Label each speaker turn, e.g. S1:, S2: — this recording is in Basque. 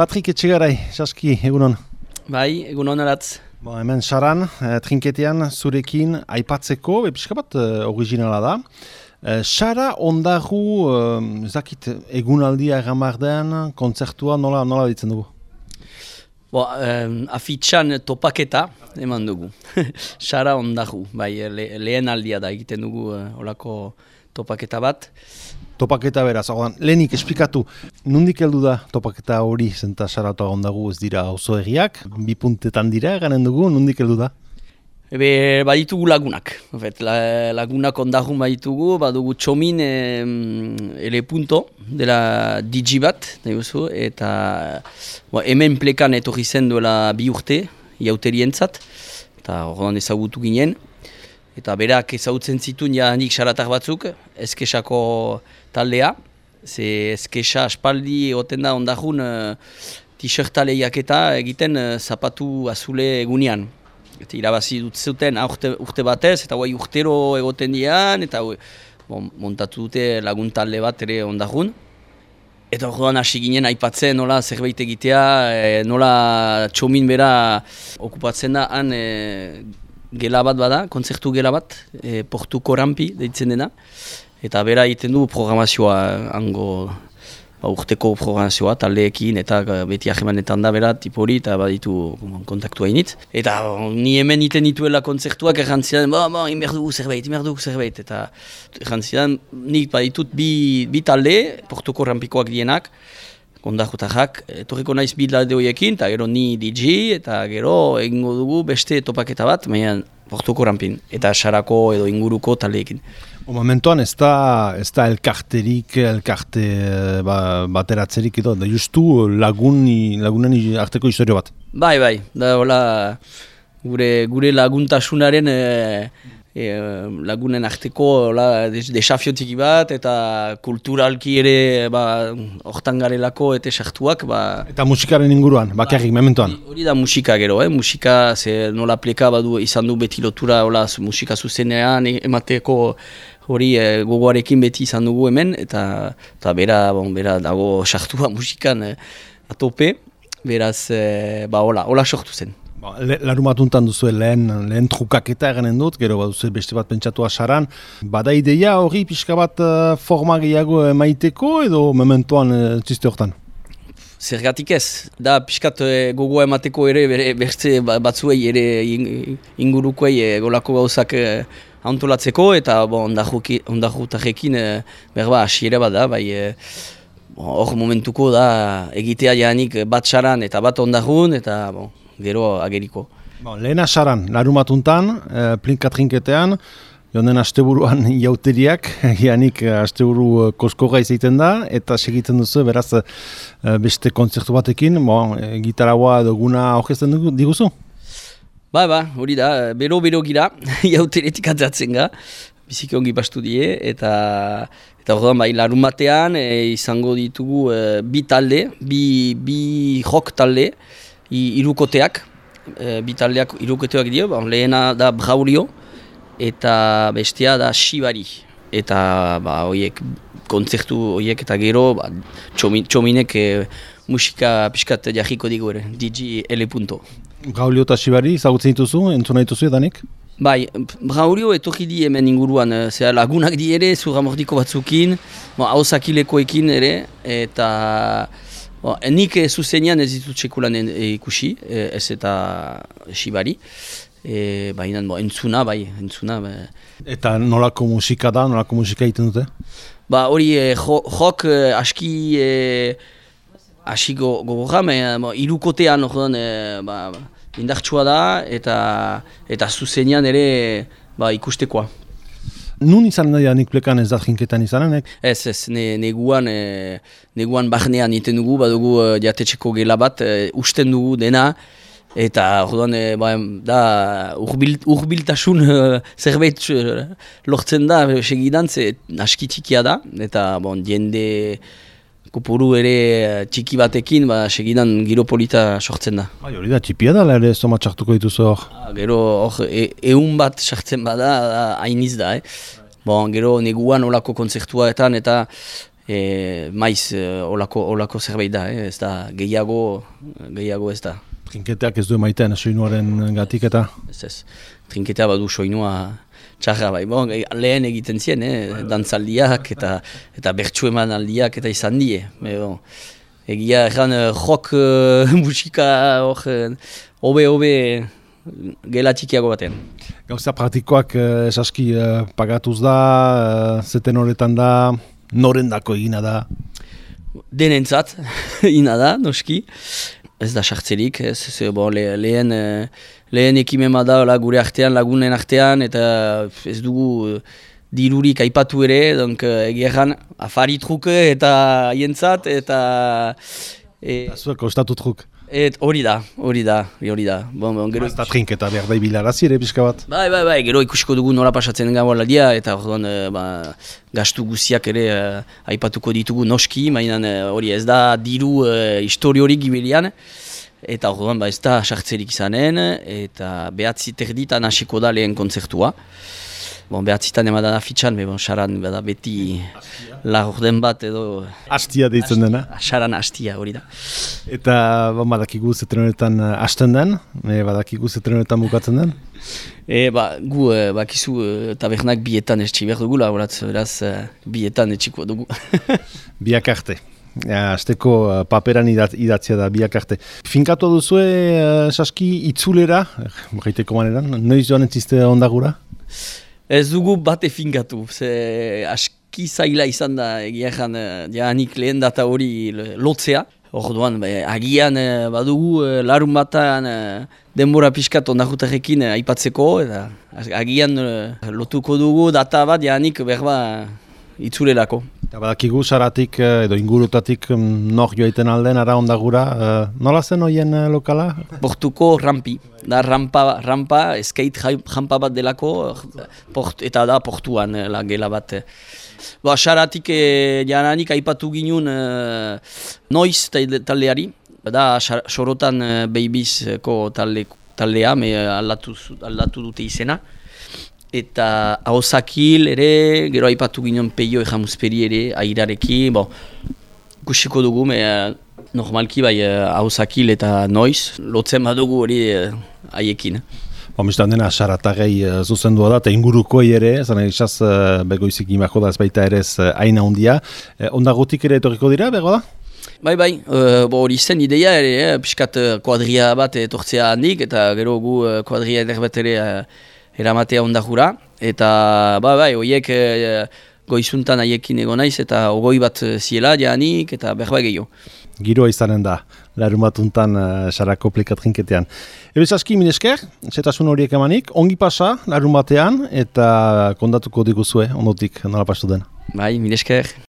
S1: Patrik Etxegarai, Saski, egunon.
S2: Bai, egunon aratz.
S1: Hemen saran, trinketean zurekin aipatzeko, pixka bat originala da. Sara ondagu, ez dakit, egunaldia egamardean, kontzertua nola ditzen dugu?
S2: Afitxan topaketa eman dugu. Sara ondagu, bai, lehen aldia da egiten dugu olako topaketa bat.
S1: Topaketa beraz, lehenik esplikatu, nondik heldu da topaketa hori zenta Saratoa ondagu ez dira oso egiak, 2 puntetan dira, ganen dugu, nondik heldu da?
S2: Baditugu lagunak, lagunak ondagun baditugu, badugu txomin ele punto dela digi bat, eta hemen plekan etorri zen duela 2 urte, iauterientzat, eta horrean ezagutu ginen. Eta berak ezagutzen zituen nik Saratar batzuk, Eskesako taldea. Ze Eskesa aspaldi egoten da ondagun t-shirta lehiaketa egiten zapatu azule egunean. Eta irabazi dut zuten urte batez, eta urtero egoten dian, eta montatu dute lagun talde bat ere ondagun. Eta horrean hasi ginen aipatzen nola zerbait egitea, nola txomin bera okupatzen da han gela bat bada, kontzertu gela bat, Portuko Rampi deitzen dena. Eta bera egiten du programazioa, hango urteko programazioa, taldeekin, eta beti ahemanetan da bera, tipori, eta baditu kontaktua initz. Eta ni hemen iten dituela kontzertuak errantzidan, inberdugu zerbait, eta errantzidan nik baditut bi talde, Portuko Rampikoak dienak, kondajutajak, etorriko naiz bildalde horiekin, eta gero ni DJ, eta gero egingo dugu beste topaketa bat, baina Portuko Rampin, eta Sarako edo inguruko taldeekin.
S1: Momentuan ez da elkarte bateratzerik edo, da justu lagunen arteko historio bat. Bai,
S2: da hola gure laguntasunaren lagunen arteko desafiotiki bat, eta kulturalki ere hortan garelako eta sartuak.
S1: Eta musikaren inguruan, bakarrik, mementoan?
S2: Hori da musika gero, musika nola pleka badu izan du beti lotura musika zuzenean emateko hori gogoarekin beti izan dugu hemen, eta bera dago sartua musikan atope, beraz hola sortu zen.
S1: Larumatuntan duzu lehen trukaketa eganen dut, gero baduzu beste bat pentsatua Saran. Bada ideia hori pixka bat forma gehiago emaiteko edo mementoan txiste hortan?
S2: Zergatik ez, da pixkat gogoa emateko ere beste batzuei ere ingurukoei golako gauzak antolatzeko, eta ondajutarekin hasiera bat da, hor momentuko da egitea janik bat Saran eta bat ondagun, eta gero ageriko.
S1: Lehena Saran, larumatuntan, plinka trinketean, joan den asteburuan jauteriak, janik asteburu koskorra izaiten da, eta segitzen duzu, beraz beste kontzertu batekin, gitaraua edo guna aurkezten diguzu?
S2: Hori da, bero gira, jauteretik atzatzen ga, biziki ongi bastu die, eta orduan larumatean izango ditugu bi talde, bi rock talde, irukoteak, bi taldeak irukoteak dio, lehena da Braulio, eta bestea da Shibari. Eta kontzertu horiek eta gero txominek musika piskat jarriko digu ere, DJ L.
S1: Braulio eta Shibari, zagutzen dituzu, entzuna dituzu edanik?
S2: Braulio etorri di hemen inguruan, lagunak di ere, Zuramordiko batzukin, hauzakilekoekin ere, eta nik zuzenean ez ditut txekulan ikusi, ez eta Shibari. Baina entzuna.
S1: Eta nolako musika da, nolako musika egiten dute?
S2: Hori rock aski gogorra, irukotean indartsua da, eta zuzenean ere ikustekoa.
S1: Nun izan da nik plekan ez da jinketan izanenek?
S2: Ez, neguan barnean iten dugu, badugu jatetxeko gela bat, usten dugu dena, eta orduan urbiltasun zerbait lortzen da segidan, aski txikia da, eta jende kopuru ere txiki batekin segidan giro polita sortzen da.
S1: Hori da, txipia da, ere zoma txartuko dituzu hor?
S2: Gero ehun bat sartzen bada, hainiz da. Gero neguan olako kontzertuetan eta maiz olako zerbait da, ez da gehiago ez da.
S1: Trinketeak ez du emaiten soinuaren gatik eta?
S2: Ez. Trinketea badu soinua txarra bai. Bon, lehen egiten zien, dantzaldiak eta bertsu eman aldiak eta izan die. Bon, egia erran rock musika hobe gela txikiago batean.
S1: Gauza praktikoak esaski pagatuz da, zeten horretan da, norendako egina da?
S2: Denentzat, ina da, noski. Ez da sartzerik, lehen ekimen da gure artean, lagunen artean, eta ez dugu dirurik aipatu ere, egeran afari truke eta hientzat, eta...
S1: Zuek kostatu truk?
S2: Hori da.
S1: Ez da trinketa behar da ibilarazi ere pixka bat?
S2: Bai, gero ikusiko dugu nola pasatzen gabo aldia, eta gastu guziak ere aipatuko ditugu noski, baina hori ez da diru historiorik gibilian, eta ez da sartzerik izanen, eta behatzi terditan hasiko da lehen kontzertua. Behatzitan emadan afitxan, saran beti lagorden bat edo...
S1: Astia deitzen dena?
S2: Saran astia, hori da.
S1: Eta badakigu zeten honetan hasten den, badakigu zeten honetan bukatzen den?
S2: Gu bakizu tabernak bietan etxi behar dugula, beraz bietan etxiko dugu.
S1: Biak arte. Azteko paperan idatzia da biak arte. Finkatu duzue saski itzulera, gaiteko maneran, noiz joan entziste ondagura?
S2: Ez dugu bate finkatu, aski zaila izan da egia ezan janik lehen data hori lotzea. Orduan, agian badugu larun batan denbora pixkat ondajutarekin aipatzeko, eta agian lotuko dugu data bat janik berba itzulerako.
S1: Eta badakigu saratik edo ingurutatik nor joaiten alden ara ondagura, nola zen hoien lokala?
S2: Portuko rampi, da rampa skate rampa bat delako, eta da portuan la gela bat. Saratik jananik aipatu ginun noiz taldeari, da sorotan Babiesko taldea, aldatu dute izena. Eta Ahosakil ere, gero aipatu ginen Peio Ejamuzperi ere, airarekin, kusiko dugu, normalki Ahosakil eta noiz, lotzen badugu hori haiekin.
S1: Mistan dena, saratagei zuzendua da, eta ingurukoi ere, zan egizaz begoizik imako da ez baita ere ez aina hundia. Ondagotik ere etorriko dira, bego da?
S2: Bai, hori zen ideia ere, piskat kuadria bat etortzea handik, eta gero gu kuadria eder bat ere eramatea ondajura, eta horiek goizuntan haiekin egon naiz, eta ogoi bat ziela janik, eta berba gehiago.
S1: Giroa izanen da, larun batuntan sarako plikatrinketean. Ebez aski, minesker, zetasun horiek emanik, ongi pasa larun batean, eta kondatuko diguzue, ondotik nola pastu den.
S2: Bai, minesker.